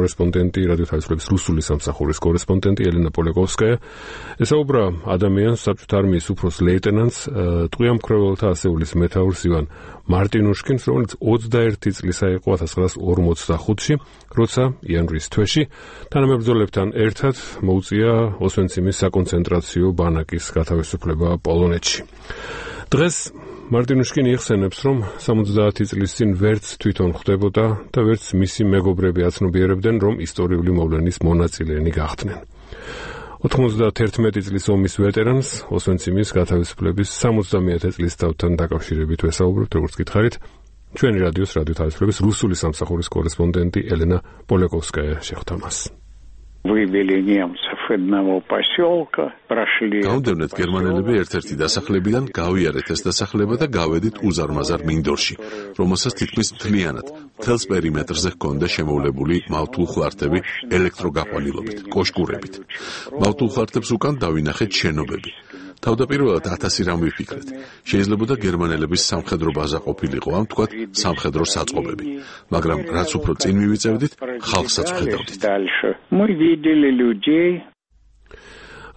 კორესპონდენტი, რადიო თავისუფლების რუსული სამსახურის კორესპონდენტი ელენა პოლეკოვსკაია. ესაუბრა ადამიანს, საბჭოთა არმიის უფროს ლეიტენანტს, ტყვია მკვლელთა ასეულის მეთაურს ივან მარტინუშკინს, რომელიც 21 წლისა იყო 1945-ში, როცა იანვრის თვეში თანამებრძოლებთან ერთად მოუწია ოსვენციმის საკონცენტრაციო ბანაკის გათავისუფლება პოლონეთში. დღეს მარტინუშკინი იხსენებს, რომ 70 წლის წინ ვერც თვითონ ხვდებოდა და ვერც მისი მეგობრები აცნობიერებდნენ, რომ ისტორიული მოვლენის მონაწილენი გახდნენ. 91 წლის ომის ვეტერანს ოსვენციმის გათავისუფლების 70-ე წლისთავთან დაკავშირებით ვესაუბრებთ, როგორც გითხარით, ჩვენი რადიოს რადიო თავისუფლების რუსული სამსახურის კორესპონდენტი ელენა პოლეკოვსკაია შეხვდა მას. Вывели немцев одного поселка, прошли. Გაუნდევნეთ გერმანელები ერთ-ერთი დასახლებიდან გავიარეთ ეს დასახლება და გავედით უზარმაზარ მინდორში, რომელსაც თითქმის მთლიანად მთელს პერიმეტრზე ჰქონდა შემოვლებული მავთულხლართები ელექტროგაყვანილობით, კოშკურებით. მავთულხლართებს უკან დავინახეთ შენობები. თავდაპირველად 1000 რამ ვიფიქრეთ. Შეიძლება გერმანელების სამხედრო ბაზა ყოფილიყო, ამ თქვათ სამხედრო საწყობები, მაგრამ რაც უფრო წინ მივიწევდით, ხალხსაც ვხედავდით.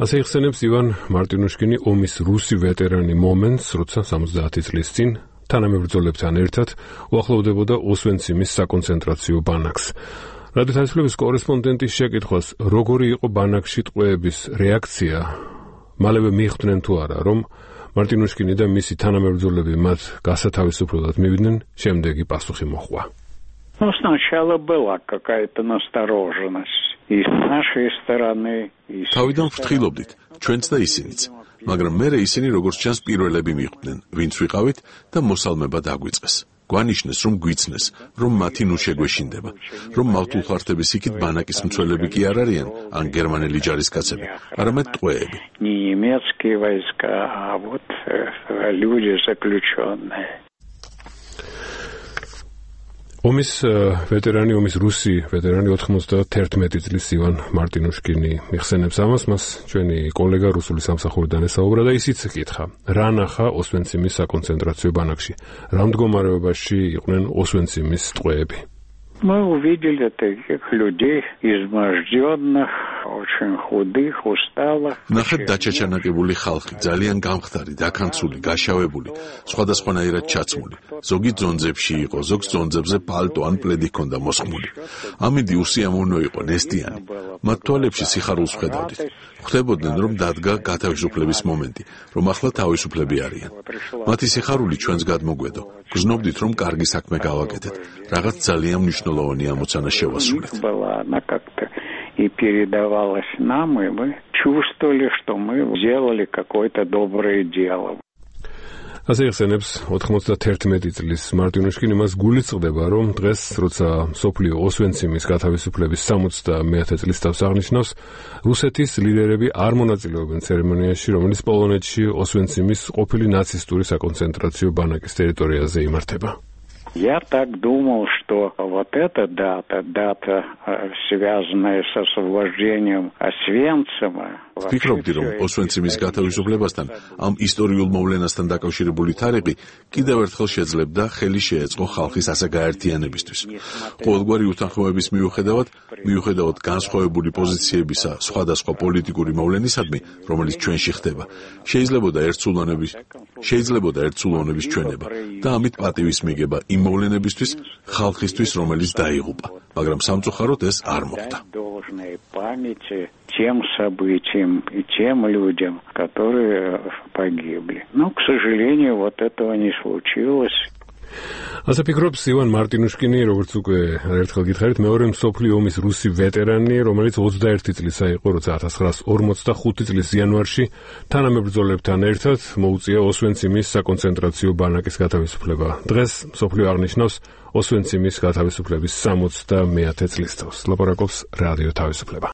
ასე იხსენებს ივან მარტინუშკინი ომის რუსი ვეტერანი მომენტს, როცა 70 წლის წინ თანამებრძოლებთან ერთად უახლოვდებოდა ოსვენციმის საკონცენტრაციო ბანაკს. რადიო თავისუფლების კორესპონდენტის შეკითხვას, როგორი იყო ბანაკში ტყვეების რეაქცია, მალევე მიხვდნენ თუ არა, რომ მარტინუშკინი და მისი თანამებრძოლები მათ გასათავისუფლებლად მივიდნენ, შემდეგი პასუხი მოჰყვა. Ну, сначала была какая-то настороженность и с нашей стороны, и с... თავიდან ვფრთხილობდით, ჩვენც და ისინიც, მაგრამ მერე ისინი როგორც ჩანს პირველები მიხვდნენ, ვინც ვიყავით და მოსალმება დაგვიწყეს. გვანიშნეს, რომ გვიცნეს, რომ მათი ნუ შეგვეშინდება, რომ მავთულხლართების იქით ბანაკის მცველები კი არ არიან, ან გერმანელი ჯარისკაცები, არამედ ტყვეები. Не немецкие войска, а вот люди заключенные. ომის ვეტერანი, ომის რუსი ვეტერანი 91 წლის ივან მარტინუშკინი იხსენებს ამას, მას ჩვენი კოლეგა რუსული სამსახურიდან ესაუბრა და ისიც ეკითხა, რა ნახა ოსვენციმის საკონცენტრაციო ბანაკში, რა მდგომარეობაში იყვნენ ოსვენციმის ტყვეები. Мы увидели таких людей, изможденных, очень худых, усталых. ნახეთ დაჩაჩანაკებული ხალხი, ძალიან გამხდარი, დაქანცული, გაშავებული, სხვადასხვანაირად ჩაცმული. ზოგი ძონძებში იყო, ზოგს ძონძებზე პალტო ან პლედი ჰქონდა მოსხმული. ამინდი უსიამოვნო იყო, ნესტიანი. მათ თვალებში სიხარულს ვხედავდით. ხვდებოდნენ, რომ დადგა გათავისუფლების მომენტი, რომ ახლა თავისუფლები არიან. მათი სიხარული ჩვენს გადმოგვედო. გრძნობდით, რომ კარგი საქმე გავაკეთეთ, რაღაც ძალიან მნიშვნელოვანი ამოცანა შევასრულეთ. И передавалось нам, и мы чувствовали, что мы сделали какое-то доброе дело. ასე იხსენებს 91 წლის მარტინუშკინი, მას გულისწყდება, რომ დღეს, როცა მსოფლიო ოსვენციმის გათავისუფლების 70-ე წლისთავს აღნიშნავს, რუსეთის ლიდერები არ მონაწილეობენ ცერემონიაში, რომელიც პოლონეთში ოსვენციმის ყოფილი ნაცისტური საკონცენტრაციო ბანაკის ტერიტორიაზე იმართება. Я так думал, что вот эта дата, связанная с освобождением Освенцима. ვფიქრობდი, რომ ოსვენციმის გათავისუფლებასთან, ამ ისტორიულ მოვლენასთან დაკავშირებული თარიღი კიდევ ერთხელ შეძლებდა ხელი შეეწყო ხალხის ასაგაერთიანებისთვის. ყოველგვარი უთანხმოების მიუხედავად განსხვავებული პოზიციებისა სხვადასხვა პოლიტიკური მოვლენისადმი, რომელიც ჩვენში ხდება, შეიძლებოდა ერთსულოვნების ჩვენება და ამით პატივის მიგება იმ მოვლენებისთვის, ხალხისთვის, რომელიც დაიღუპა, მაგრამ სამწუხაროდ ეს არ მოხდა. Тем событиям и тем людям, которые погибли. Но, к сожалению, вот этого не случилось. ასე ფიქრობს ივან მარტინუშკინი, როგორც უკვე ერთხელ გითხარით, მეორე მსოფლიო ომის რუსი ვეტერანი, რომელიც 21 წლისა იყო, როცა 1945 წლის იანვარში თანამებრძოლებთან ერთად მოუწია ოსვენციმის საკონცენტრაციო ბანაკის გათავისუფლება. დღეს მსოფლიო აღნიშნავს ოსვენციმის გათავისუფლების 70-ე წლისთავს. ლაპარაკობს რადიო თავისუფლება.